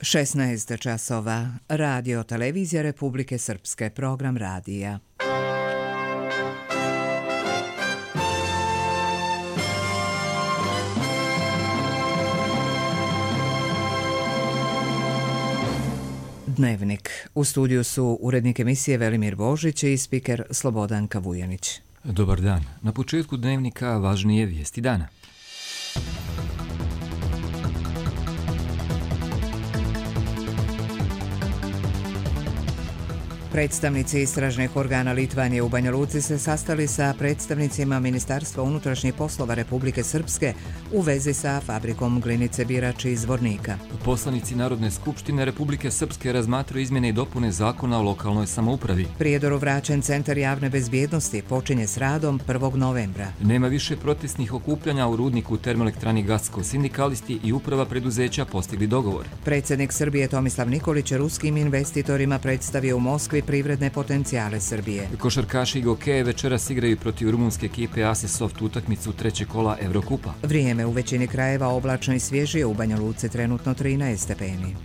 16 časova. Radio Televizija Republike Srpske. Program radija. Dnevnik. U studiju su urednik emisije Velimir Božić i spiker Slobodanka Vujanić. Dobar dan. Na početku dnevnika važnije vijesti dana. Predstavnici istražnih organa Litvanije u Banja Luci se sastali sa predstavnicima Ministarstva unutrašnjih poslova Republike Srpske u vezi sa fabrikom glinice Birač iz Zvornika. Poslanici Narodne skupštine Republike Srpske razmatraju izmjene i dopune zakona o lokalnoj samoupravi. Prijedoru vraćen Centar javne bezbjednosti počinje s radom 1. novembra. Nema više protestnih okupljanja u rudniku termoelektrani Gasko. Sindikalisti i uprava preduzeća postigli dogovor. Predsjednik Srbije Tomislav Nikolić ruskim investitorima predstavio u Moskvi privredne potencijale Srbije. Košarkaši i gokeje večeras igraju protiv rumunske ekipe Asisoft utakmicu trećeg kola Evrokupa. Vrijeme u većini krajeva oblačno i svježije, u Banja Luci trenutno 13 stepeni.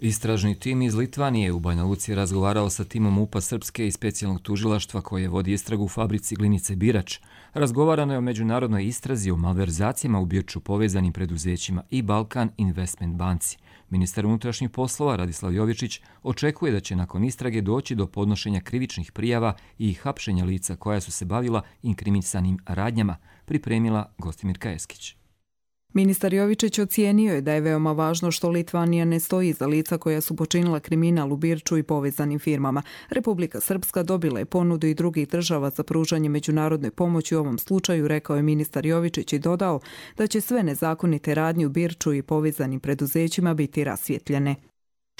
Istražni tim iz Litvanije u Banja Luci je razgovarao sa timom MUP-a Srpske i specijalnog tužilaštva koje vodi istragu u fabrici glinice Birač. Razgovarano je o međunarodnoj istrazi o malverzacijama u Birču povezanim preduzećima i Balkan Investment banci. Ministar unutrašnjih poslova Radislav Jovičić očekuje da će nakon istrage doći do podnošenja krivičnih prijava i hapšenja lica koja su se bavila inkrimisanim radnjama, pripremila Gostimirka Eskić. Ministar Jovičić ocijenio je da je veoma važno što Litvanija ne stoji iza lica koja su počinila kriminal u Birču i povezanim firmama. Republika Srpska dobila je ponudu i drugih država za pružanje međunarodne pomoći u ovom slučaju, rekao je ministar Jovičić i dodao da će sve nezakonite radnje u Birču i povezanim preduzećima biti rasvjetljene.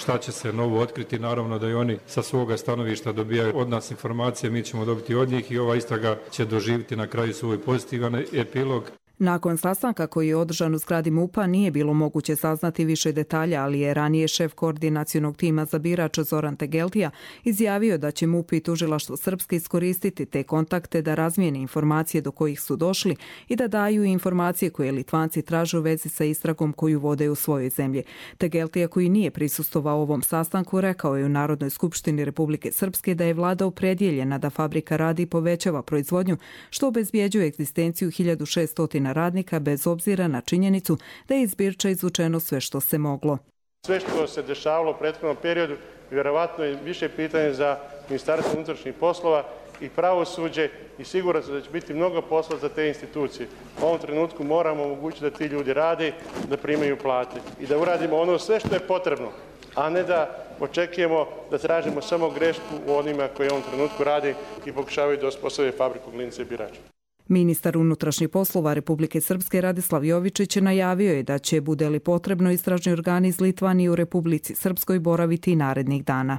Šta će se novo otkriti, naravno da i oni sa svoga stanovišta dobijaju od nas informacije, mi ćemo dobiti od njih i ova istraga će doživjeti na kraju svoj pozitivan epilog. Nakon sastanka koji je održan u zgradi MUP-a nije bilo moguće saznati više detalja, ali je ranije šef koordinacionog tima za Birač Zoran Tegeltija izjavio da će MUP i tužilaštvo Srpske iskoristiti te kontakte da razmijene informacije do kojih su došli i da daju informacije koje Litvanci traže u vezi sa istragom koju vode u svojoj zemlji. Tegeltija, koji nije prisustvovao ovom sastanku, rekao je u Narodnoj skupštini Republike Srpske da je vlada opredjeljena da fabrika radi i povećava proizvodnju, što obezbjeđuje egzistenciju 1600 radnika bez obzira na činjenicu da je iz Birča izvučeno sve što se moglo. Sve što se dešavalo u prethodnom periodu vjerovatno je više pitanje za Ministarstvo unutrašnjih poslova i pravosuđe i sigurno da će biti mnogo posla za te institucije. U ovom trenutku moramo omogućiti da ti ljudi rade, da primaju plate i da uradimo ono sve što je potrebno, a ne da očekujemo da tražimo samo grešku u onima koji u ovom trenutku rade i pokušavaju da osposobe fabriku glinice Birač. Ministar unutrašnjih poslova Republike Srpske Radislav Jovičić najavio je da će, bude li potrebno, istražni organi iz Litvanije u Republici Srpskoj boraviti narednih dana.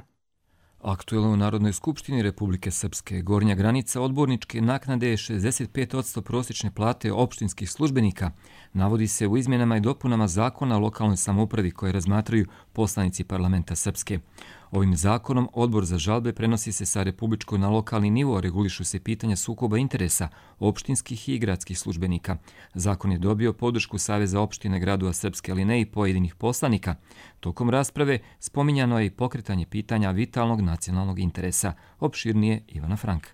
Aktuelno u Narodnoj skupštini Republike Srpske gornja granica odborničke naknade je 65% prosječne plate opštinskih službenika. Navodi se u izmjenama i dopunama zakona o lokalnoj samoupravi koje razmatraju poslanici parlamenta Srpske. Ovim zakonom odbor za žalbe prenosi se sa republičkog na lokalni nivo, regulišu se pitanja sukoba interesa opštinskih i gradskih službenika. Zakon je dobio podršku Saveza opštine gradova Srpske, ali ne i pojedinih poslanika. Tokom rasprave spominjano je i pokretanje pitanja vitalnog nacionalnog interesa. Opširnije Ivana Frank.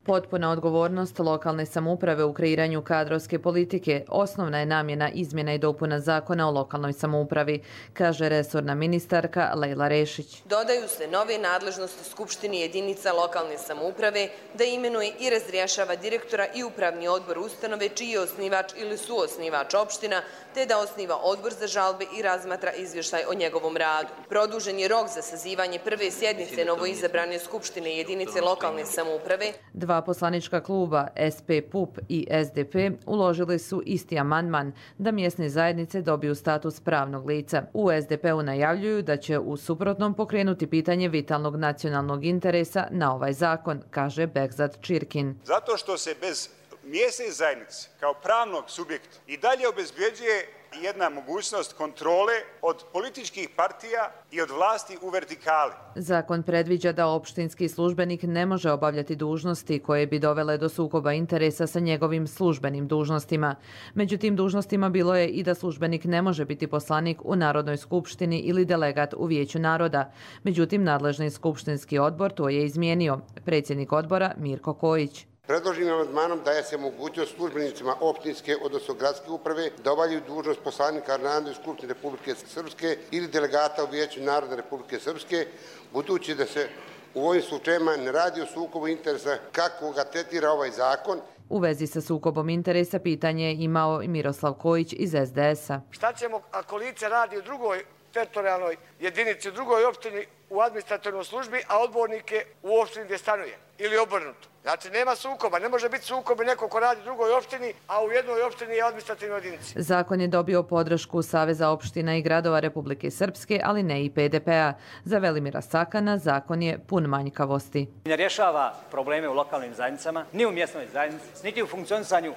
Potpuna odgovornost lokalne samouprave u kreiranju kadrovske politike osnovna je namjena izmjena i dopuna zakona o lokalnoj samoupravi, kaže resorna ministarka Lejla Rešić. Dodaju se nove nadležnosti Skupštini jedinica lokalne samouprave da imenuje i razrješava direktora i upravni odbor ustanove čiji je osnivač ili suosnivač opština, te da osniva odbor za žalbe i razmatra izvještaj o njegovom radu. Produžen je rok za sazivanje prve sjednice novoizabrane Skupštine jedinice lokalne samouprave. Dva poslanička kluba SP, PUP i SDP uložili su isti amandman da mjesne zajednice dobiju status pravnog lica. U SDP-u najavljuju da će u suprotnom pokrenuti pitanje vitalnog nacionalnog interesa na ovaj zakon, kaže Bekzat Čirkin. Zato što se bez mjesne zajednice kao pravnog subjekta i dalje obezbjeđuje jedna mogućnost kontrole od političkih partija i od vlasti u vertikali. Zakon predviđa da opštinski službenik ne može obavljati dužnosti koje bi dovele do sukoba interesa sa njegovim službenim dužnostima. Među tim dužnostima bilo je i da službenik ne može biti poslanik u Narodnoj skupštini ili delegat u Vijeću naroda. Međutim, nadležni skupštinski odbor to je izmijenio. Predsjednik odbora Mirko Kojić. Predloženim amandmanom daje se mogućnost službenicima opštinske, odnosno gradske uprave, da obavljaju dužnost poslanika Narodne skupštine Republike Srpske ili delegata u Vijeću naroda Republike Srpske, budući da se u ovim slučajevima ne radi o sukobu interesa kako ga tretira ovaj zakon. U vezi sa sukobom interesa pitanje je imao i Miroslav Kojić iz SDS-a. Šta ćemo ako lice radi u drugoj teritorijalnoj jedinici, u drugoj opštini u administrativnoj službi, a odbornik je u opštini gdje stanuje ili obrnuto? Znači, nema sukoba. Ne može biti sukob i neko ko radi u drugoj opštini, a u jednoj opštini je administrativnoj jedinici. Zakon je dobio podršku Saveza opština i gradova Republike Srpske, ali ne i PDP-a. Za Velimira Sakana zakon je pun manjkavosti. Ne rješava probleme u lokalnim zajednicama, ni u mjesnoj zajednici, niti u funkcionisanju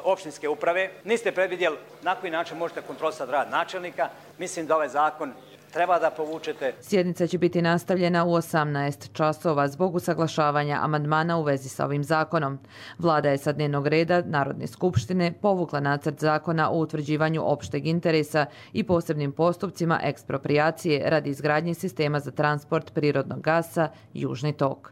opštinske uprave. Niste predvidjeli na koji način možete kontrolisati rad načelnika. Mislim da ovaj zakon treba da povučete. Sjednica će biti nastavljena u 18 časova zbog usaglašavanja amandmana u vezi sa ovim zakonom. Vlada je sa dnevnog reda Narodne skupštine povukla nacrt zakona o utvrđivanju opšteg interesa i posebnim postupcima eksproprijacije radi izgradnje sistema za transport prirodnog gasa Južni tok.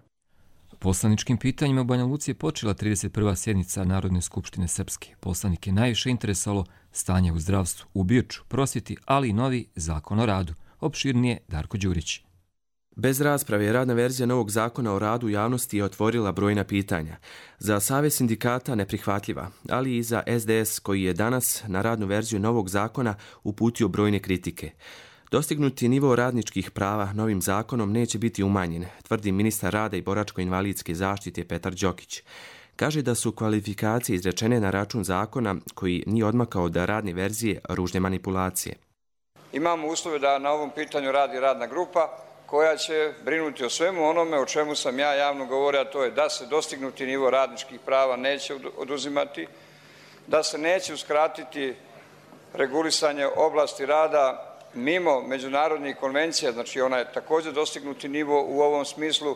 Poslaničkim pitanjima u Banja Luci je počela 31. sjednica Narodne skupštine Srpske. Poslanike najviše interesalo stanje u zdravstvu, u Birču, prosvjeti, ali i novi zakon o radu. Opširnije Darko Đurić. Bez rasprave radna verzija novog zakona o radu u javnosti je otvorila brojna pitanja. Za Savez sindikata neprihvatljiva, ali i za SDS koji je danas na radnu verziju novog zakona uputio brojne kritike. Dostignuti nivo radničkih prava novim zakonom neće biti umanjen, tvrdi ministar rada i boračko-invalidske zaštite Petar Đokić. Kaže da su kvalifikacije izrečene na račun zakona koji nije odmakao od radne verzije ružne manipulacije. Imamo uslove da na ovom pitanju radi radna grupa koja će brinuti o svemu onome o čemu sam ja javno govorio, a to je da se dostignuti nivo radničkih prava neće oduzimati, da se neće uskratiti regulisanje oblasti rada mimo međunarodnih konvencija, znači ona je također dostignuti nivo u ovom smislu,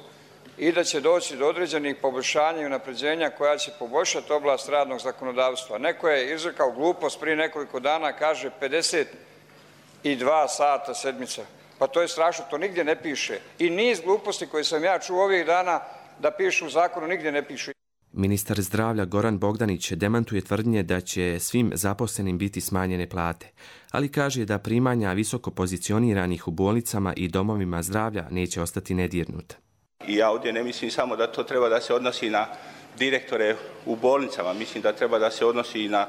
i da će doći do određenih poboljšanja i unapređenja koja će poboljšati oblast radnog zakonodavstva. Neko je izrekao glupost prije nekoliko dana, kaže 52 sata sedmica. Pa to je strašno, to nigdje ne piše. I niz gluposti koje sam ja čuo ovih dana da pišu u zakonu nigdje ne pišu. Ministar zdravlja Goran Bogdanić demantuje tvrdnje da će svim zaposlenim biti smanjene plate, ali kaže da primanja visoko pozicioniranih u bolnicama i domovima zdravlja neće ostati nedirnuta. I ja ovdje ne mislim samo da to treba da se odnosi na direktore u bolnicama, mislim da treba da se odnosi i na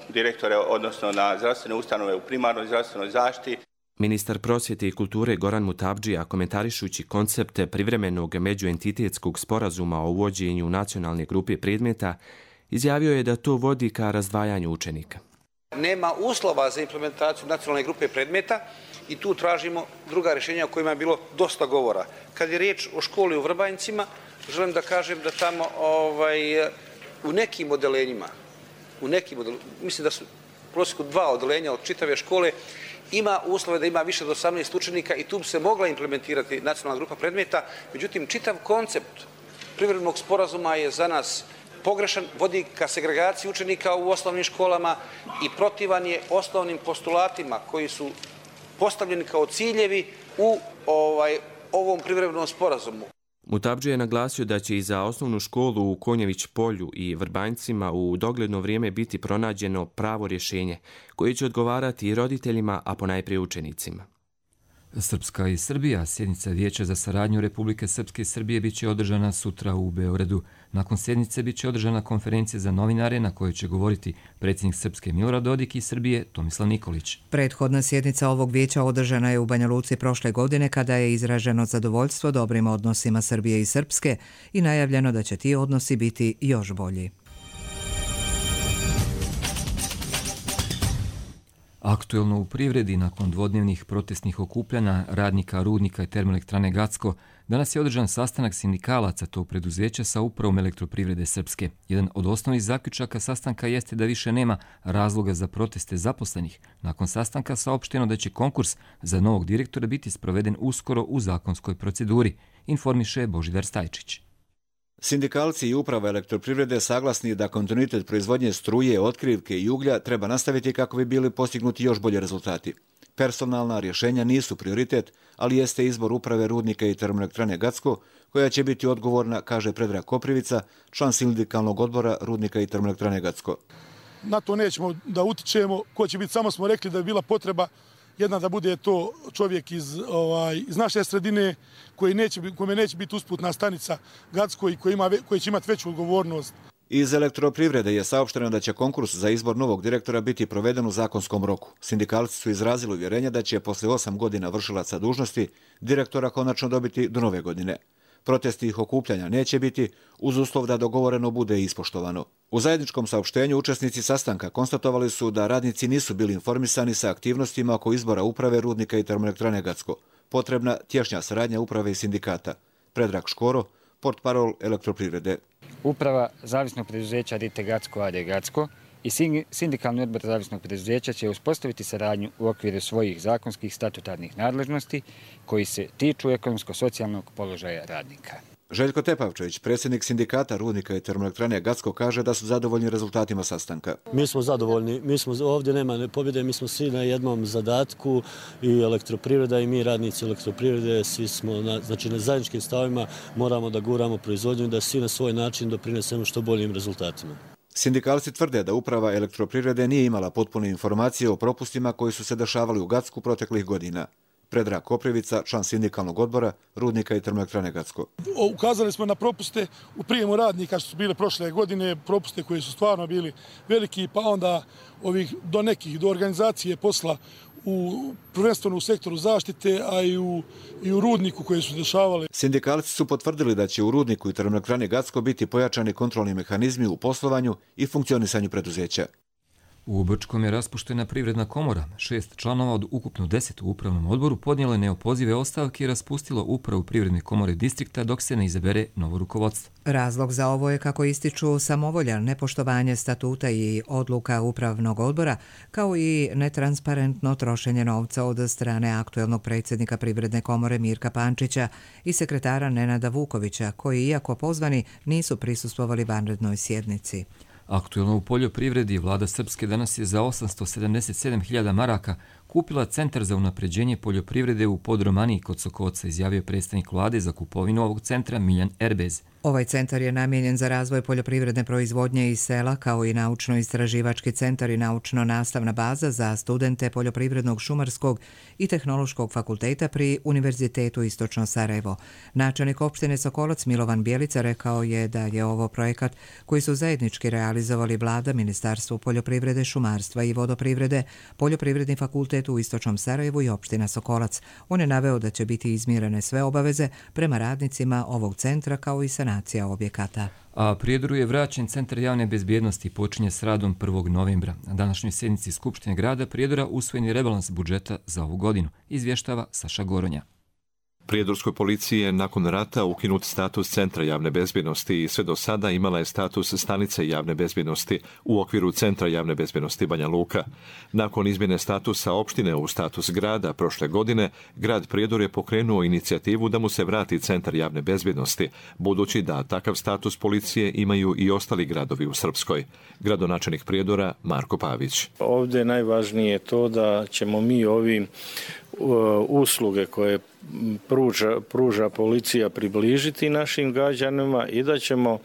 direktore, odnosno na zdravstvene ustanove u primarnoj zdravstvenoj zaštiti. Ministar prosvjete i kulture Goran Mutabdžija, komentarišući koncept privremenog međuentitetskog sporazuma o uvođenju nacionalne grupe predmeta, izjavio je da to vodi ka razdvajanju učenika. Nema uslova za implementaciju nacionalne grupe predmeta i tu tražimo druga rješenja o kojima je bilo dosta govora. Kad je riječ o školi u Vrbanjcima, želim da kažem da tamo u nekim odelenjima, mislim da su u prosjeku 2 odelenja od čitave škole, ima uslove da ima više od 18 učenika i tu bi se mogla implementirati nacionalna grupa predmeta. Međutim, čitav koncept privremenog sporazuma je za nas pogrešan, vodi ka segregaciji učenika u osnovnim školama i protivan je osnovnim postulatima koji su postavljeni kao ciljevi u ovom privremenom sporazumu. Mutabdžija je naglasio da će i za osnovnu školu u Konjević polju i Vrbanjcima u dogledno vrijeme biti pronađeno pravo rješenje koje će odgovarati i roditeljima, a ponajprije učenicima. Srpska i Srbija, sjednica Vijeća za saradnju Republike Srpske i Srbije biće održana sutra u Beogradu. Nakon sjednice biće održana konferencija za novinare na kojoj će govoriti predsjednik Srpske Milorad Dodik i Srbije Tomislav Nikolić. Prethodna sjednica ovog vijeća održana je u Banja Luci prošle godine kada je izraženo zadovoljstvo dobrim odnosima Srbije i Srpske i najavljeno da će ti odnosi biti još bolji. Aktuelno u privredi nakon dvodnevnih protestnih okupljanja radnika Rudnika i Termoelektrane Gacko, danas je održan sastanak sindikalaca tog preduzeća sa upravom Elektroprivrede Srpske. Jedan od osnovnih zaključaka sastanka jeste da više nema razloga za proteste zaposlenih. Nakon sastanka saopšteno da će konkurs za novog direktora biti sproveden uskoro u zakonskoj proceduri, informiše Božidar Stajčić. Sindikalci i uprava Elektroprivrede saglasni da kontinuitet proizvodnje struje, otkrivke i uglja treba nastaviti kako bi bili postignuti još bolje rezultati. Personalna rješenja nisu prioritet, ali jeste izbor uprave Rudnika i Termoelektrane Gacko, koja će biti odgovorna, kaže Predrag Koprivica, član sindikalnog odbora Rudnika i Termoelektrane Gacko. Na to nećemo da utičemo. Ko će biti, samo smo rekli da je bila potreba jedna da bude to čovjek iz naše sredine kome neće biti usputna stanica Gacko i koji će imati veću odgovornost. Iz Elektroprivrede je saopšteno da će konkurs za izbor novog direktora biti proveden u zakonskom roku. Sindikalci su izrazili uvjerenje da će posle 8 godina vršilaca dužnosti direktora konačno dobiti do nove godine. Protestnih okupljanja neće biti uz uslov da dogovoreno bude ispoštovano. U zajedničkom saopštenju učesnici sastanka konstatovali su da radnici nisu bili informisani sa aktivnostima oko izbora uprave Rudnika i Termoelektrane Gacko. Potrebna tješnja saradnja uprave i sindikata. Predrag Škoro, portparol Elektroprivrede. Uprava zavisnog preduzeća Rite Gacko AD Gacko i sindikalni odbor zavisnog preduzeća će uspostaviti saradnju u okviru svojih zakonskih statutarnih nadležnosti koji se tiču ekonomsko-socijalnog položaja radnika. Željko Tepavčević, predsjednik sindikata Rudnika i Termoelektrane Gacko, kaže da su zadovoljni rezultatima sastanka. Mi smo zadovoljni, ovdje nema pobjede, mi smo svi na jednom zadatku, i Elektroprivreda i mi radnici Elektroprivrede, svi smo na zajedničkim stavima, moramo da guramo proizvodnju i da svi na svoj način doprinesemo što boljim rezultatima. Sindikalci tvrde da uprava Elektroprivrede nije imala potpune informacije o propustima koji su se dešavali u Gacku proteklih godina. Predrag Koprivica, član sindikalnog odbora Rudnika i Termoelektrane Gacko. Ukazali smo na propuste u prijemu radnika što su bile prošle godine, propuste koji su stvarno bili veliki, pa onda do organizacije posla prvenstveno u sektoru zaštite, a i u Rudniku koje su dešavale. Sindikalci su potvrdili da će u Rudniku i Termoelektrani Gacko biti pojačani kontrolni mehanizmi u poslovanju i funkcionisanju preduzeća. U Brčkom je raspuštena Privredna komora. 6 članova od ukupno 10 u upravnom odboru podnijele neopozive ostavke i raspustilo upravu Privredne komore distrikta dok se ne izabere novo rukovodstvo. Razlog za ovo je, kako ističu, samovolja, nepoštovanje statuta i odluka upravnog odbora, kao i netransparentno trošenje novca od strane aktuelnog predsjednika Privredne komore Mirka Pančića i sekretara Nenada Vukovića, koji, iako pozvani, nisu prisustvovali vanrednoj sjednici. Aktuelno u poljoprivredi vlada Srpske danas je za 877.000 maraka kupila Centar za unapređenje poljoprivrede u Podromaniji kod Sokoca, izjavio predstavnik vlade za kupovinu ovog centra Miljan Erbez. Ovaj centar je namijenjen za razvoj poljoprivredne proizvodnje iz sela, kao i naučno-istraživački centar i naučno-nastavna baza za studente Poljoprivrednog, šumarskog i tehnološkog fakulteta pri Univerzitetu Istočno Sarajevo. Načelnik opštine Sokolac Milovan Bjelica rekao je da je ovo projekat koji su zajednički realizovali vlada, Ministarstvo poljoprivrede, šumarstva i vodoprivrede, Poljoprivredni fakultet u Istočnom Sarajevu i opština Sokolac. On je naveo da će biti izmirene sve obaveze prema radnicima ovog centra, kao i sanacija objekata. A Prijedoru je vraćen Centar javne bezbjednosti, počinje s radom 1. novembra. Na današnjoj sjednici Skupštine grada Prijedora usvojen je rebalans budžeta za ovu godinu, izvještava Saša Goronja. Prijedorskoj policiji je nakon rata ukinut status Centra javne bezbjednosti i sve do sada imala je status stanice javne bezbjednosti u okviru Centra javne bezbjednosti Banja Luka. Nakon izmjene statusa opštine u status grada prošle godine, grad Prijedor je pokrenuo inicijativu da mu se vrati Centar javne bezbjednosti, budući da takav status policije imaju i ostali gradovi u Srpskoj. Gradonačelnik Prijedora Marko Pavić. Ovdje je najvažnije to da ćemo mi ovim usluge koje pruža policija približiti našim građanima i da ćemo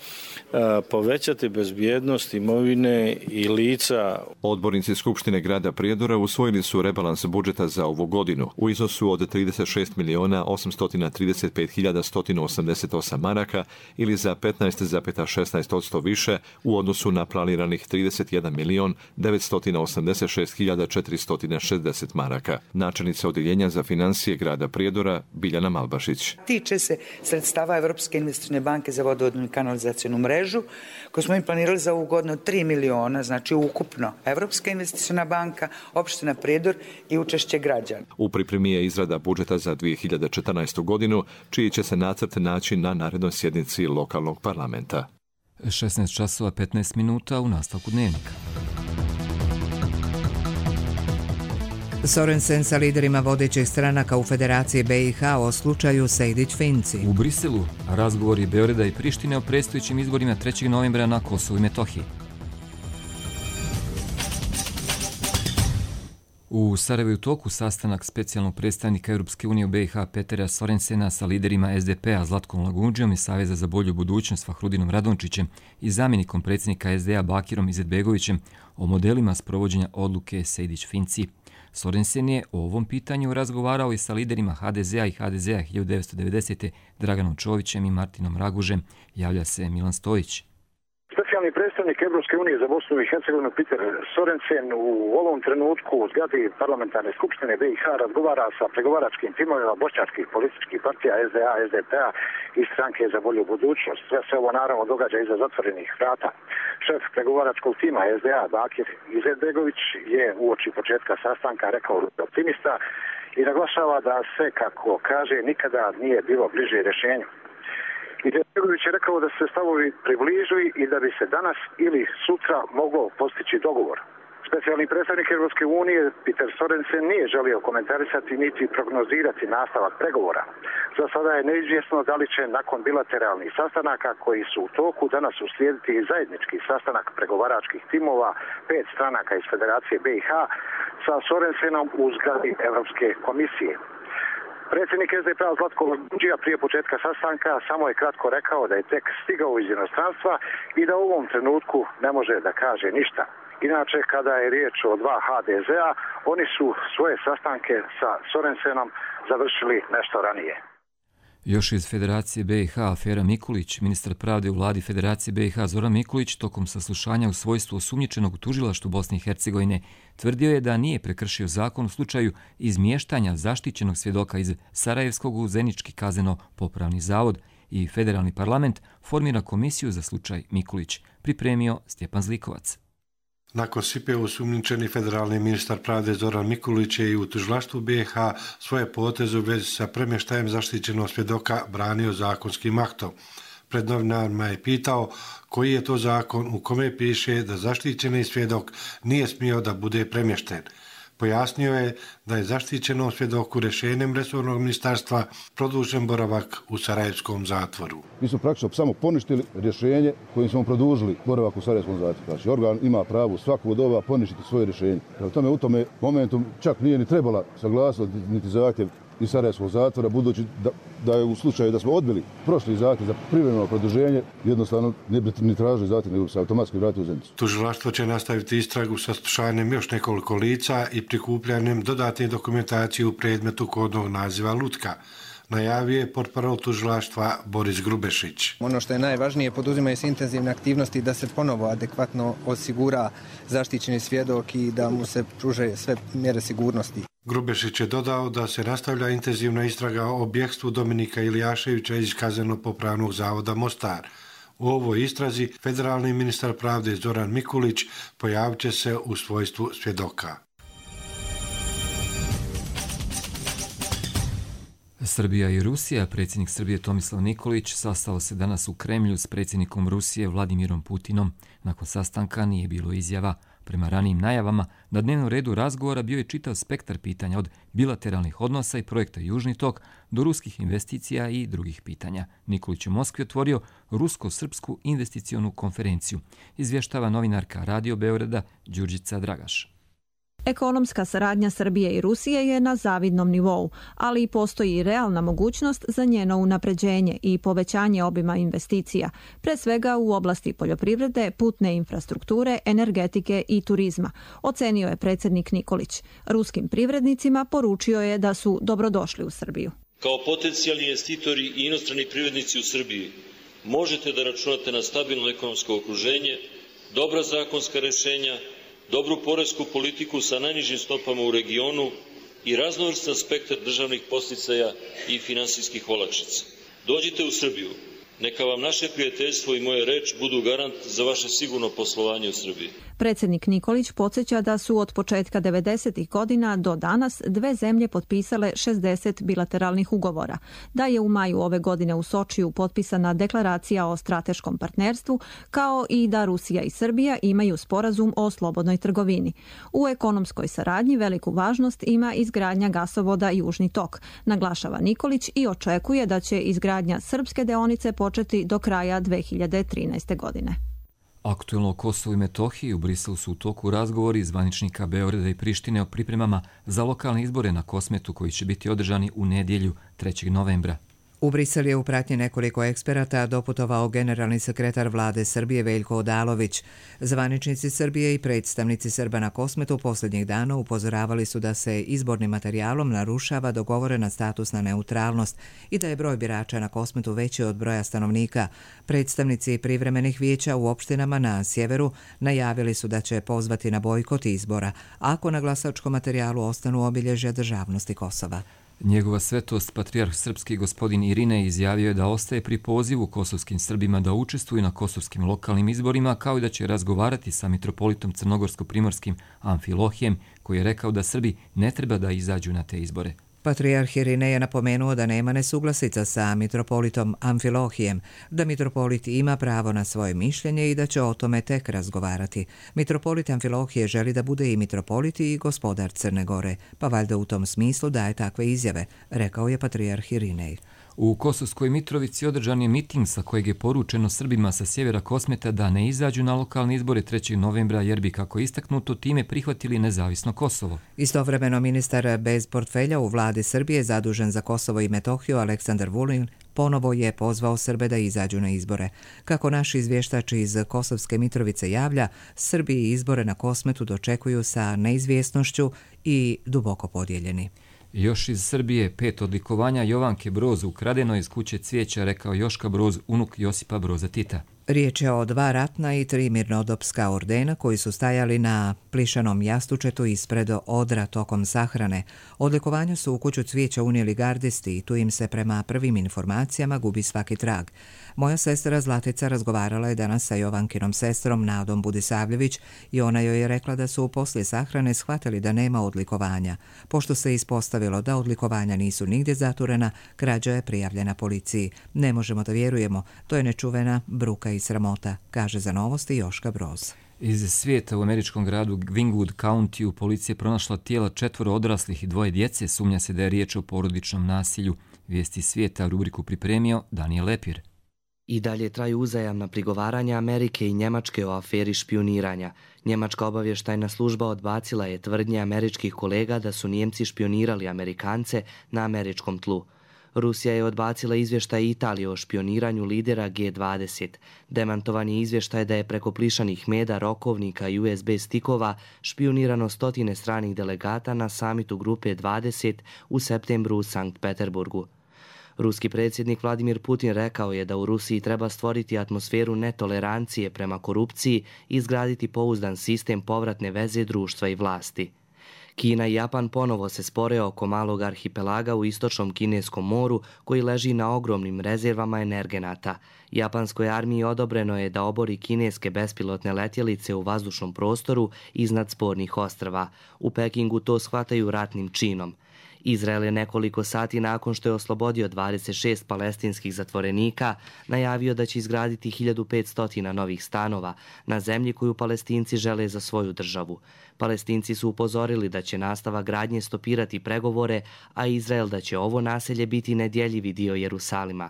povećati bezbjednost imovine i lica. Odbornici Skupštine grada Prijedora usvojili su rebalans budžeta za ovu godinu u iznosu od 36.835.188 maraka ili za 15,16% više u odnosu na planiranih 31.986.460 maraka. Načelnica Odjeljenja za financije grada Prijedora direktora Biljana Malbašić. Tiče se sredstava Evropske investicione banke za vodovodnu i kanalizacionu mrežu, koju smo im planirali za ovu godinu 3 miliona, znači ukupno Evropska investiciona banka, opština Prijedor i učešće građana. U pripremi je izrada budžeta za 2014. godinu, čiji će se nacrt naći na narednoj sjednici lokalnog parlamenta. 16 časova 15 minuta u nastavku dnevnika. Sorensen sa liderima vodećih stranaka u Federaciji BiH o slučaju Sejdić-Finci. U Briselu razgovori Beograda i Prištine o predstojećim izborima 3. novembra na Kosovu i Metohiji. U Sarajevu u toku sastanak specijalnog predstavnika Europske unije u BiH Petera Sorensena sa liderima SDP-a Zlatkom Lagundžijom i Saveza za bolju budućnost Fahrudinom Radončićem i zamjenikom predsjednika SDA Bakirom Izetbegovićem o modelima sprovođenja odluke Sejdić-Finci. Sorensen je o ovom pitanju razgovarao i sa liderima HDZ-a i HDZ-a 1990. Draganom Čovićem i Martinom Ragužem, javlja se Milan Stojić. Specijalni predstavnik Evropske unije za Bosnu i Hercegovinu Peter Sorensen u ovom trenutku u zgradi parlamentarne skupštine BiH razgovara sa pregovaračkim timovima bošnjačkih političkih partija SDA, SDP-a i stranke za bolju budućnost. Sve se ovo naravno događa iza zatvorenih vrata. Šef pregovaračkog tima SDA Bakir Izetbegović je uoči početka sastanka rekao optimista i naglašava da se, kako kaže, nikada nije bilo bliže rješenju. Izetbegović je rekao da se stavovi približuju i da bi se danas ili sutra moglo postići dogovor. Specijalni predstavnik Europske unije Peter Sorensen nije želio komentarisati niti prognozirati nastavak pregovora. Za sada je neizvjesno da li će nakon bilateralnih sastanaka koji su u toku danas uslijediti i zajednički sastanak pregovaračkih timova 5 stranaka iz Federacije BiH sa Sorensenom u zgradi Europske komisije. Predsjednik SDP-a Zlatko Lagundžija prije početka sastanka samo je kratko rekao da je tek stigao iz inostranstva i da u ovom trenutku ne može da kaže ništa. Inače, kada je riječ o 2 HDZ-a, oni su svoje sastanke sa Sorensenom završili nešto ranije. Još iz Federacije BiH afera Mikulić, ministar pravde u vladi Federacije BiH Zoran Mikulić tokom saslušanja u svojstvu osumnjičenog u tužilaštvu Bosne i Hercegovine tvrdio je da nije prekršio zakon u slučaju izmještanja zaštićenog svjedoka iz Sarajevskog u Zenički kazneno-popravni zavod i federalni parlament formira komisiju za slučaj Mikulić, pripremio Stjepan Zlikovac. Nakon SIPE osumnjičeni federalni ministar pravde Zoran Mikulić je i u tužilaštvu BiH svoje poteze u vezi sa premještajem zaštićenog svjedoka branio zakonskim aktom. Pred novinarima je pitao koji je to zakon u kome piše da zaštićeni svjedok nije smio da bude premješten. Pojasnio je da je zaštićenom svjedoku rješenjem resornog ministarstva produžen boravak u Sarajevskom zatvoru. Mi smo praktično samo poništili rješenje kojim smo produžili boravak u Sarajevskom zatvoru. Znači, organ ima pravo svakog doba poništiti svoje rješenje. Prema tome, u tome momentu čak nije ni trebala saglasnost niti zahtjev iz Sarajevskog zatvora, budući da je u slučaju da smo odbili prošli zahtjev za privremeno produženje, jednostavno ne bi ni tražili zahtjev, nego se automatski vratili u Zenicu. Tužilaštvo će nastaviti istragu sa saslušanjem još nekoliko lica i prikupljanjem dodatne dokumentacije u predmetu kodnog naziva Lutka, najavio je portparol tužilaštva Boris Grubešić. Ono što je najvažnije, poduzimaju se intenzivne aktivnosti da se ponovo adekvatno osigura zaštićeni svjedok i da mu se pruže sve mjere sigurnosti. Grubešić je dodao da se nastavlja intenzivna istraga o bjegstvu Dominika Ilijaševića iz kazneno-popravnog zavoda Mostar. U ovoj istrazi federalni ministar pravde Zoran Mikulić pojavit će se u svojstvu svjedoka. Srbija i Rusija, predsjednik Srbije Tomislav Nikolić sastao se danas u Kremlju s predsjednikom Rusije Vladimirom Putinom. Nakon sastanka nije bilo izjava. Prema ranijim najavama, na dnevnom redu razgovora bio je čitav spektar pitanja od bilateralnih odnosa i projekta Južni tok do ruskih investicija i drugih pitanja. Nikolić u Moskvi otvorio rusko-srpsku investicionu konferenciju, izvještava novinarka Radio Beograda Đurđica Dragaš. Ekonomska saradnja Srbije i Rusije je na zavidnom nivou, ali i postoji i realna mogućnost za njeno unapređenje i povećanje obima investicija, pre svega u oblasti poljoprivrede, putne infrastrukture, energetike i turizma, ocenio je predsjednik Nikolić. Ruskim privrednicima poručio je da su dobrodošli u Srbiju. Kao potencijalni investitori i inostrani privrednici u Srbiji možete da računate na stabilno ekonomsko okruženje, dobra zakonska rješenja, dobru poresku politiku sa najnižim stopama u regionu i raznovrstan spektar državnih podsticaja i finansijskih olakšica. Dođite u Srbiju. Neka vam naše prijateljstvo i moja reč budu garant za vaše sigurno poslovanje u Srbiji. Predsjednik Nikolić podsjeća da su od početka 90. godina do danas dve zemlje potpisale 60 bilateralnih ugovora, da je u maju ove godine u Sočiju potpisana deklaracija o strateškom partnerstvu, kao i da Rusija i Srbija imaju sporazum o slobodnoj trgovini. U ekonomskoj saradnji veliku važnost ima izgradnja gasovoda Južni tok, naglašava Nikolić i očekuje da će izgradnja srpske deonice početi do kraja 2013. godine. Aktuelno o Kosovu i Metohiji u Briselu su u toku razgovori zvaničnika Beograda i Prištine o pripremama za lokalne izbore na Kosmetu koji će biti održani u nedjelju 3. novembra. U Brisel je u pratnji nekoliko eksperata doputovao generalni sekretar vlade Srbije Veljko Odalović. Zvaničnici Srbije i predstavnici Srba na Kosmetu posljednjih dana upozoravali su da se izbornim materijalom narušava dogovorena statusna neutralnost i da je broj birača na Kosmetu veći od broja stanovnika. Predstavnici privremenih vijeća u opštinama na sjeveru najavili su da će pozvati na bojkot izbora ako na glasačkom materijalu ostanu obilježja državnosti Kosova. Njegova svetost, patrijarh srpski gospodin Irinej, izjavio je da ostaje pri pozivu kosovskim Srbima da učestvuju na kosovskim lokalnim izborima, kao i da će razgovarati sa mitropolitom crnogorsko-primorskim Amfilohijem, koji je rekao da Srbi ne treba da izađu na te izbore. Patrijarh Irinej je napomenuo da nema nesuglasica sa mitropolitom Amfilohijem, da mitropolit ima pravo na svoje mišljenje i da će o tome tek razgovarati. Mitropolit Amfilohije želi da bude i mitropolit i gospodar Crne Gore, pa valjda u tom smislu daje takve izjave, rekao je patrijarh Irinej. U Kosovskoj Mitrovici održan je miting sa kojeg je poručeno Srbima sa sjevera Kosmeta da ne izađu na lokalne izbore 3. novembra jer bi, kako istaknuto, time prihvatili nezavisno Kosovo. Istovremeno ministar bez portfelja u vladi Srbije zadužen za Kosovo i Metohiju Aleksandar Vulin ponovo je pozvao Srbe da izađu na izbore. Kako naš izvještač iz Kosovske Mitrovice javlja, Srbi izbore na Kosmetu dočekuju sa neizvjesnošću i duboko podijeljeni. Još iz Srbije 5 odlikovanja Jovanke Broz ukradeno iz kuće cvijeća, rekao Joška Broz, unuk Josipa Broza Tita. Riječ je o 2 ratna i 3 mirnodopska ordena koji su stajali na plišanom jastučetu ispred odra tokom sahrane. Odlikovanja su u kuću cvijeća unijeli gardisti i tu im se prema prvim informacijama gubi svaki trag. Moja sestra Zlatica razgovarala je danas sa Jovankinom sestrom Nadom Budisavljević i ona joj je rekla da su poslije sahrane shvatili da nema odlikovanja. Pošto se ispostavilo da odlikovanja nisu nigdje zaturena, krađa je prijavljena policiji. Ne možemo da vjerujemo, to je nečuvena bruka i sramota, kaže za Novosti Joška Broz. Iz svijeta u američkom gradu Wingwood County policija je pronašla tijela 4 odraslih i 2 djece. Sumnja se da je riječ o porodičnom nasilju. Vijesti svijeta rubriku pripremio Daniel Lepir. I dalje traju uzajamna prigovaranja Amerike i Njemačke o aferi špioniranja. Njemačka obavještajna služba odbacila je tvrdnje američkih kolega da su Nijemci špionirali Amerikance na američkom tlu. Rusija je odbacila izvještaj Italije o špioniranju lidera G20. Demantovan je izvještaj da je preko plišanih meda, rokovnika i USB stikova špionirano 100 stranih delegata na samitu grupe 20 u septembru u Sankt Peterburgu. Ruski predsjednik Vladimir Putin rekao je da u Rusiji treba stvoriti atmosferu netolerancije prema korupciji i izgraditi pouzdan sistem povratne veze društva i vlasti. Kina i Japan ponovo se spore oko malog arhipelaga u istočnom Kineskom moru koji leži na ogromnim rezervama energenata. Japanskoj armiji odobreno je da obori kineske bespilotne letjelice u vazdušnom prostoru iznad spornih ostrva. U Pekingu to shvataju ratnim činom. Izrael je nekoliko sati nakon što je oslobodio 26 palestinskih zatvorenika najavio da će izgraditi 1500 novih stanova na zemlji koju Palestinci žele za svoju državu. Palestinci su upozorili da će nastava gradnje stopirati pregovore, a Izrael da će ovo naselje biti nedjeljivi dio Jerusalima.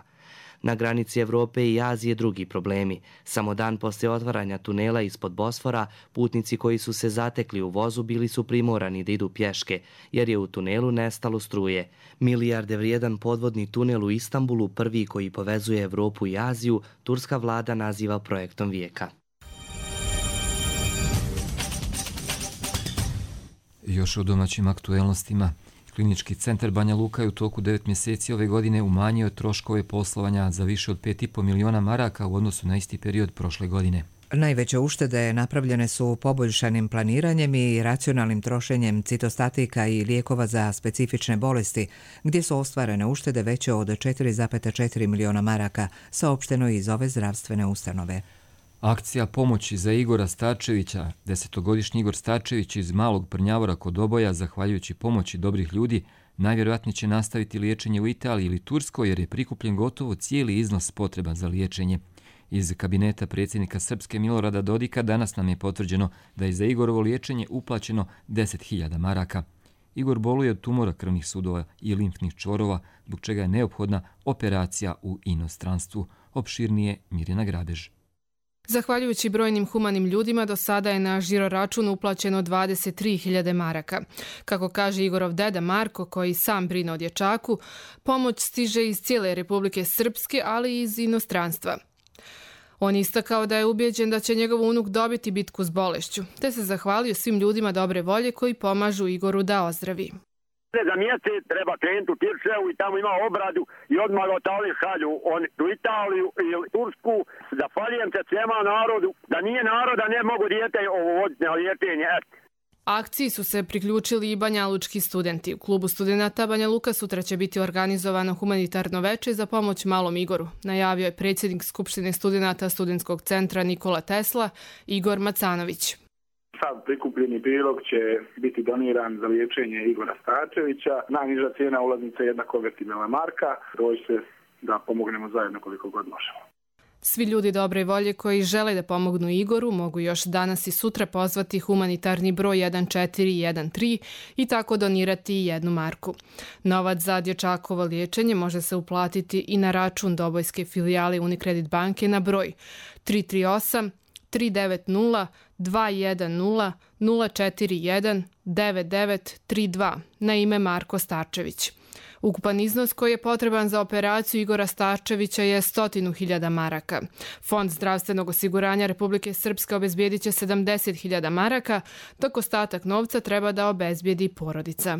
Na granici Evrope i Azije drugi problemi. Samo dan poslije otvaranja tunela ispod Bosfora, putnici koji su se zatekli u vozu bili su primorani da idu pješke, jer je u tunelu nestalo struje. Milijarde vrijedan podvodni tunel u Istanbulu, prvi koji povezuje Evropu i Aziju, turska vlada naziva projektom vijeka. Još o domaćim aktuelnostima. Klinički centar Banja Luka je u toku 9 mjeseci ove godine umanjio troškove poslovanja za više od 5,5 miliona maraka u odnosu na isti period prošle godine. Najveće uštede napravljene su poboljšanim planiranjem i racionalnim trošenjem citostatika i lijekova za specifične bolesti, gdje su ostvarene uštede veće od 4,4 miliona maraka, saopšteno iz ove zdravstvene ustanove. Akcija pomoći za Igora Starčevića, 10-godišnji Igor Starčević iz Malog Prnjavora kod Oboja, zahvaljujući pomoći dobrih ljudi, najvjerojatnije će nastaviti liječenje u Italiji ili Turskoj jer je prikupljen gotovo cijeli iznos potreban za liječenje. Iz kabineta predsjednika Srpske Milorada Dodika danas nam je potvrđeno da je za Igorovo liječenje uplaćeno 10.000 maraka. Igor boluje od tumora krvnih sudova i limfnih čvorova, zbog čega je neophodna operacija u inostranstvu. Opširnije Mirjana Grabež. Zahvaljujući brojnim humanim ljudima, do sada je na žiro račun uplaćeno 23.000 maraka. Kako kaže Igorov deda Marko, koji sam brine o dječaku, pomoć stiže iz cijele Republike Srpske, ali i iz inostranstva. On istakao da je ubijeđen da će njegov unuk dobiti bitku s bolešću, te se zahvalio svim ljudima dobre volje koji pomažu Igoru da ozdravi. Za mjesec treba krenuti u Tirševu i tamo ima obradu i odmah otali šalju u Italiju ili Tursku. Zahvaljujem se svema narodu, da nije naroda ne mogu dijete ovo voditi na liječenje. Akciji su se priključili i banjalučki studenti. U klubu studenata Banja Luka sutra će biti organizovano humanitarno veče za pomoć malom Igoru, najavio je predsjednik Skupštine studenata Studentskog centra Nikola Tesla, Igor Macanović. Sav prikupljeni prilog će biti doniran za liječenje Igora Starčevića. Najniža cijena ulaznice je jedna konvertibilna marka. Doći se da pomognemo zajedno koliko god možemo. Svi ljudi dobre volje koji žele da pomognu Igoru mogu još danas i sutra pozvati humanitarni broj 1413 i tako donirati 1 marku. Novac za dječakovo liječenje može se uplatiti i na račun Dobojske filijale Unicredit banke na broj 338 390 210 041 9932 na ime Marko Starčević. Ukupan iznos koji je potreban za operaciju Igora Starčevića je 100.000 maraka. Fond zdravstvenog osiguranja Republike Srpske obezbijedit će 70.000 maraka, dok ostatak novca treba da obezbijedi porodica.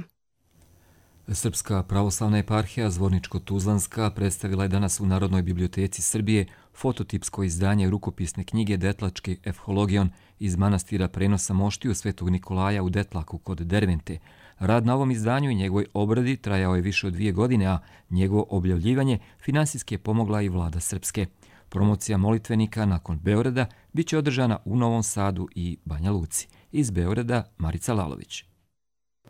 Srpska pravoslavna eparhija Zvorničko-Tuzlanska predstavila je danas u Narodnoj biblioteci Srbije fototipsko izdanje rukopisne knjige Detlački efhologion iz manastira Prenosa Moštiju Svetog Nikolaja u Detlaku kod Dervente. Rad na ovom izdanju i njegovoj obradi trajao je više od 2 godine, a njegovo objavljivanje finansijski je pomogla i vlada Srpske. Promocija molitvenika nakon Beograda bit će održana u Novom Sadu i Banja Luci. Iz Beograda Marica Lalović.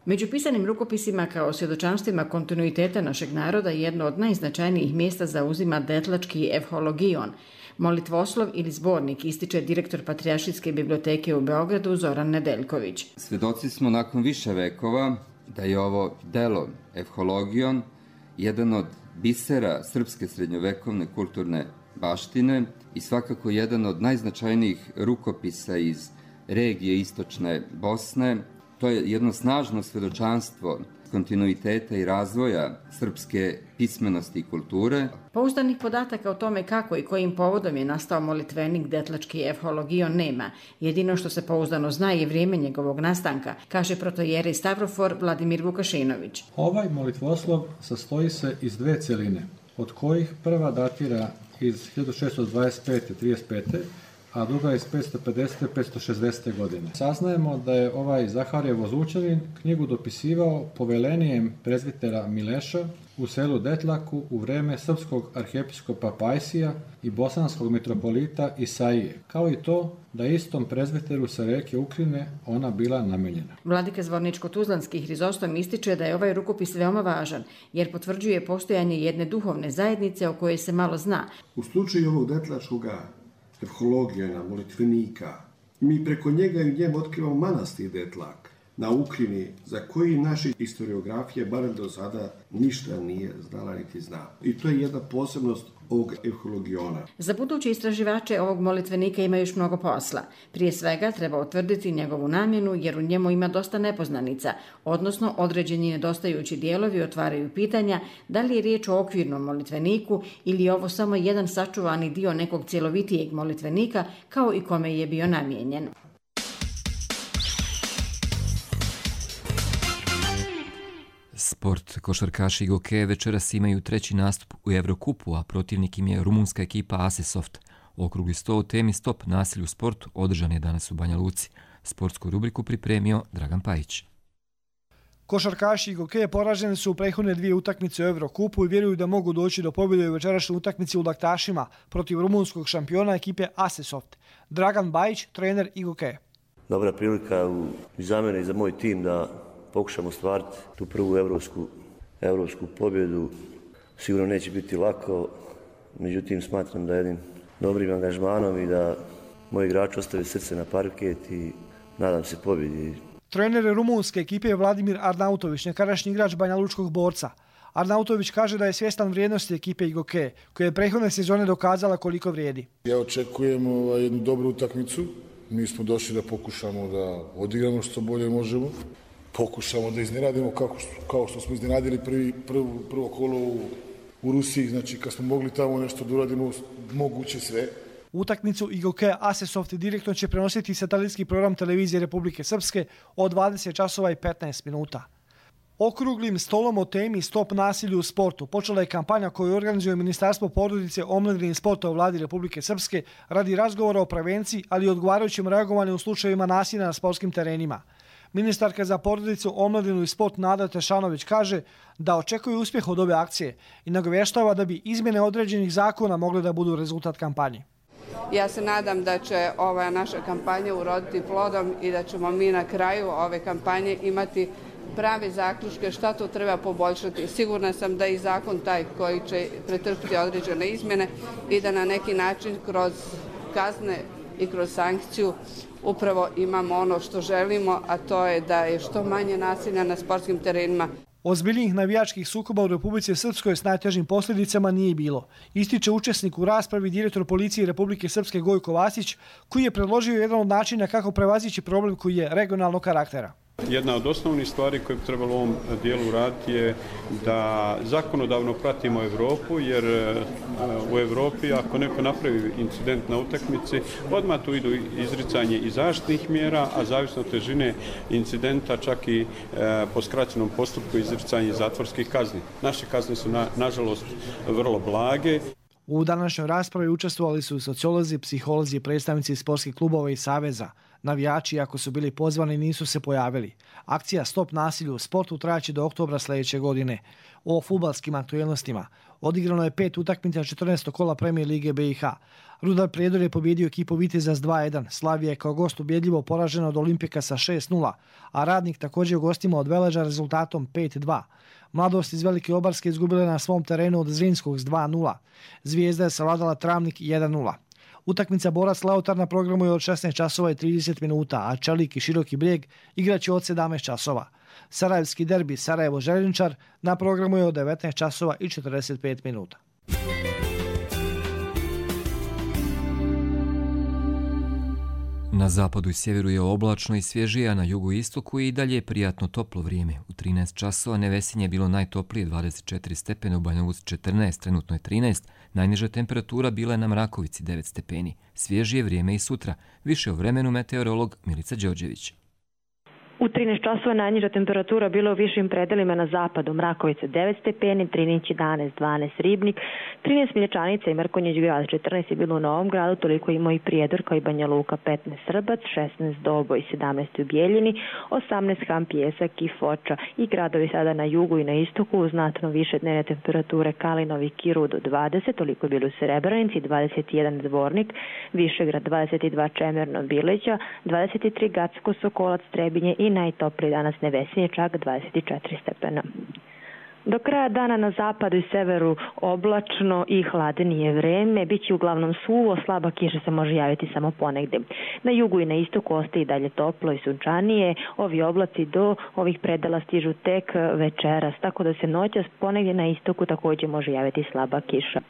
Među pisanim rukopisima kao svjedočanstvima kontinuiteta našeg naroda jedno od najznačajnijih mjesta zauzima Detlački efhologion, molitvoslov ili zbornik, ističe direktor Patrijaršijske biblioteke u Beogradu Zoran Nedeljković. Svjedoci smo nakon više vekova da je ovo delo efhologion jedan od bisera srpske srednjovekovne kulturne baštine i svakako jedan od najznačajnijih rukopisa iz regije istočne Bosne. To je jedno snažno svjedočanstvo kontinuiteta i razvoja srpske pismenosti i kulture. Pouzdanih podataka o tome kako i kojim povodom je nastao molitvenik Detlački efhologion nema. Jedino što se pouzdano zna je vrijeme njegovog nastanka, kaže protojerej Stavrofor Vladimir Vukašinović. Ovaj molitvoslov sastoji se iz 2 cjeline, od kojih prva datira iz 1625-35, a druga iz 550-560. godine. Saznajemo da je ovaj Zaharije Vozučevin knjigu dopisivao povelenijem prezbitera Mileša u selu Detlaku u vreme srpskog arhijepiskopa Pajsija i bosanskog mitropolita Isaije, kao i to da istom prezbiteru sa reke Ukrine ona bila namijenjena. Vladika Zvorničko-Tuzlanski Hrizostom ističe da je ovaj rukopis veoma važan, jer potvrđuje postojanje jedne duhovne zajednice o kojoj se malo zna. U slučaju ovog detlačkoga efhologijana, molitvenika, mi preko njega i njemu otkrivamo manastir Detlak na Ukrini, za koji naši historiografije, barem do sada, ništa nije znala niti zna. I to je jedna posebnost ovog efhologiona. Za buduće istraživače ovog molitvenika ima još mnogo posla. Prije svega treba utvrditi njegovu namjenu, jer u njemu ima dosta nepoznanica, odnosno određeni nedostajući dijelovi otvaraju pitanja da li je riječ o okvirnom molitveniku ili je ovo samo jedan sačuvani dio nekog cjelovitijeg molitvenika, kao i kome je bio namijenjen. Sport. Košarkaši Goke večeras imaju 3. nastup u Evrokupu, a protivnik im je rumunska ekipa Asesoft. Okrugli sto o temi Stop nasilju u sportu održan je danas u Banja Luci. Sportsku rubriku pripremio Dragan Pajić. Košarkaši Igoke poraženi su u prethodne 2 utakmice u Evrokupu i vjeruju da mogu doći do pobjede u večerašnjoj utakmici u Laktašima protiv rumunskog šampiona ekipe Asesoft. Dragan Bajić, trener Igoke. Dobra prilika i za mene i za moj tim da pokušamo ostvariti tu prvu evropsku pobjedu. Sigurno neće biti lako, međutim smatram da jednim dobrim angažmanom i da moji igrači ostave srce na parket i nadam se pobjedi. Trener rumunske ekipe je Vladimir Arnautović, nekadašnji igrač banjalučkog Borca. Arnautović kaže da je svjestan vrijednosti ekipe Igoke, koja je prethodne sezone dokazala koliko vrijedi. Ja očekujem jednu dobru utakmicu. Mi smo došli da pokušamo da odigramo što bolje možemo. Pokušamo da iznenadimo kao što smo iznenadili prvo kolo u Rusiji. Znači kad smo mogli tamo nešto da uradimo, moguće sve. Utakmicu Igoke Asesoft direktno će prenositi satelitski program televizije Republike Srpske od 20 časova i 15 minuta. Okruglim stolom o temi Stop nasilju u sportu počela je kampanja koju organizuje Ministarstvo porodice, omladine i sporta u Vladi Republike Srpske radi razgovora o prevenciji, ali i odgovarajućem reagovanju u slučajevima nasilja na sportskim terenima. Ministarka za porodicu, omladinu i sport Nada Tešanović kaže da očekuje uspjeh od ove akcije i nagovještava da bi izmjene određenih zakona mogle da budu rezultat kampanje. Ja se nadam da će ova naša kampanja uroditi plodom i da ćemo mi na kraju ove kampanje imati prave zaključke šta to treba poboljšati. Sigurna sam da je i zakon taj koji će pretrpiti određene izmjene i da na neki način kroz kazne i kroz sankciju upravo imamo ono što želimo, a to je da je što manje nasilja na sportskim terenima. Ozbiljnijih navijačkih sukoba u Republici Srpskoj s najtežim posljedicama nije bilo. Ističe učesnik u raspravi direktor policije Republike Srpske Gojko Vasić, koji je predložio jedan od načina kako prevazići problem koji je regionalnog karaktera. Jedna od osnovnih stvari koje bi trebalo u ovom dijelu raditi je da zakonodavno pratimo Evropu, jer u Evropi ako neko napravi incident na utakmici, odmah tu idu izricanje i zaštitnih mjera, a zavisno od težine incidenta čak i po skraćenom postupku izricanje zatvorskih kazni. Naše kazne su nažalost vrlo blage. U današnjoj raspravi učestvovali su sociolozi, psiholozi i predstavnici sportskih klubova i saveza. Navijači, ako su bili pozvani, nisu se pojavili. Akcija Stop nasilju u sportu trajaće do oktobra sljedeće godine. O fudbalskim aktualnostima odigrano je 5 utakmica 14. kola Premijer lige BiH. Rudar Prijedor je pobjedio ekipu Viteza s 2-1. Slavija je kao gost ubjedljivo poražena od Olimpika sa 6-0, a Radnik također u gostima od Veleža rezultatom 5-2. Mladost iz Velike Obarske izgubila na svom terenu od Zrinskog s 2-0. Zvijezda je savladala Travnik 1-0. Utakmica Borac Lautar na programu je od 16 časova i 30 minuta, a Čelik i Široki Brijeg igraće od 17 časova. Sarajevski derbi Sarajevo-Željničar na programu je od 19 časova i 45 minuta. Na zapadu i sjeveru je oblačno i svježije, a na jugu i istoku je i dalje prijatno toplo vrijeme. U 13 časova Nevesinje je bilo najtoplije 24 stepena, u Banja Luci 14, trenutno je 13. Najniža temperatura bila je na Mrakovici 9 stepeni. Svježije vrijeme i sutra. Više o vremenu meteorolog Milica Đorđević. U 13 časova najniža temperatura bila u višim predelima na zapadu, Mrakovica 9 stepeni, Trininić 11, 12 Ribnik, 13 Mlječanica i Mrkonjić grad, 14 je bilo u Novom gradu, toliko imao i Prijedor kao i Banja Luka, 15 Srbac, 16 Doboj, 17 u Bijeljini, 18 Ham, Pjesak i Foča i gradovi sada na jugu i na istoku uz znatno više dnevne temperature Kalinovi, Kirudo 20, toliko je bilo u Srebrenici, 21 Zvornik, Višegrad 22 Čemerno, Bileća, 23 Gacko, Sokolac, Trebinje i najtopliji danas Nevesinje, čak 24 stepena. Do kraja dana na zapadu i severu oblačno i hladnije vreme, bit će uglavnom suvo, slaba kiša se može javiti samo ponegdje. Na jugu i na istoku ostaje i dalje toplo i sunčanije, ovi oblaci do ovih predela stižu tek večeras, tako da se noćas ponegdje na istoku također može javiti slaba kiša.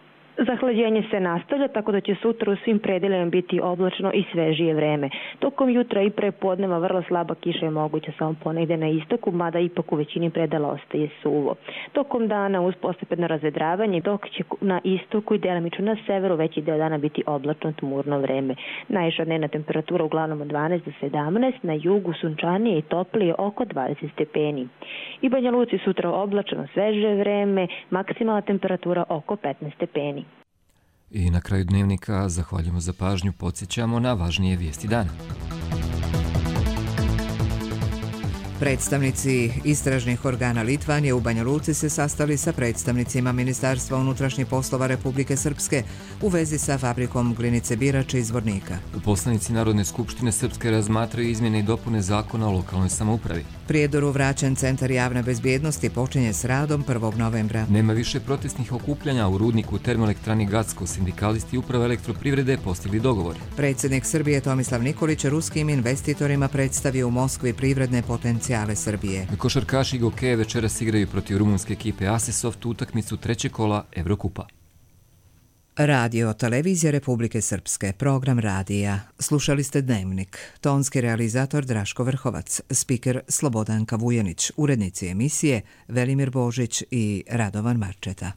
Zahlađenje se nastavlja, tako da će sutra u svim predelima biti oblačno i svežije vreme. Tokom jutra i prepodneva vrlo slaba kiša je moguća samo ponegdje na istoku, mada ipak u većini predela ostaje suvo. Tokom dana uz postepeno razvedravanje, dok će na istoku i delimično na severu veći deo dana biti oblačno tmurno vreme. Najviša dnevna temperatura uglavnom od 12 do 17, na jugu sunčanije i toplije oko 20 stepeni. I Banja Luci sutra oblačno sveže vreme, maksimalna temperatura oko 15 stepeni. I na kraju dnevnika zahvaljujemo za pažnju, podsjećamo na važnije vijesti dana. Predstavnici istražnih organa Litvanije u Banja Luci se sastali sa predstavnicima Ministarstva unutrašnjih poslova Republike Srpske u vezi sa fabrikom glinice Birač iz Zvornika. Poslanici Narodne skupštine Srpske razmatraju izmjene i dopune zakona o lokalnoj samoupravi. Prijedoru vraćen Centar javne bezbjednosti počinje s radom 1. novembra. Nema više protestnih okupljanja u rudniku termoelektrani Gacko. Sindikalisti uprave elektroprivrede postigli dogovor. Predsjednik Srbije Tomislav Nikolić ruskim investitorima predstavio u Moskvi privredne potencijale Srbije. Košarkaši Gokeje večeras igraju protiv rumunske ekipe Asesoft utakmicu trećeg kola Evrokupa. Radio Televizija Republike Srpske, program radija. Slušali ste Dnevnik. Tonski realizator Draško Vrhovac, spiker Slobodanka Vujanić, urednici emisije Velimir Božić i Radovan Marčeta.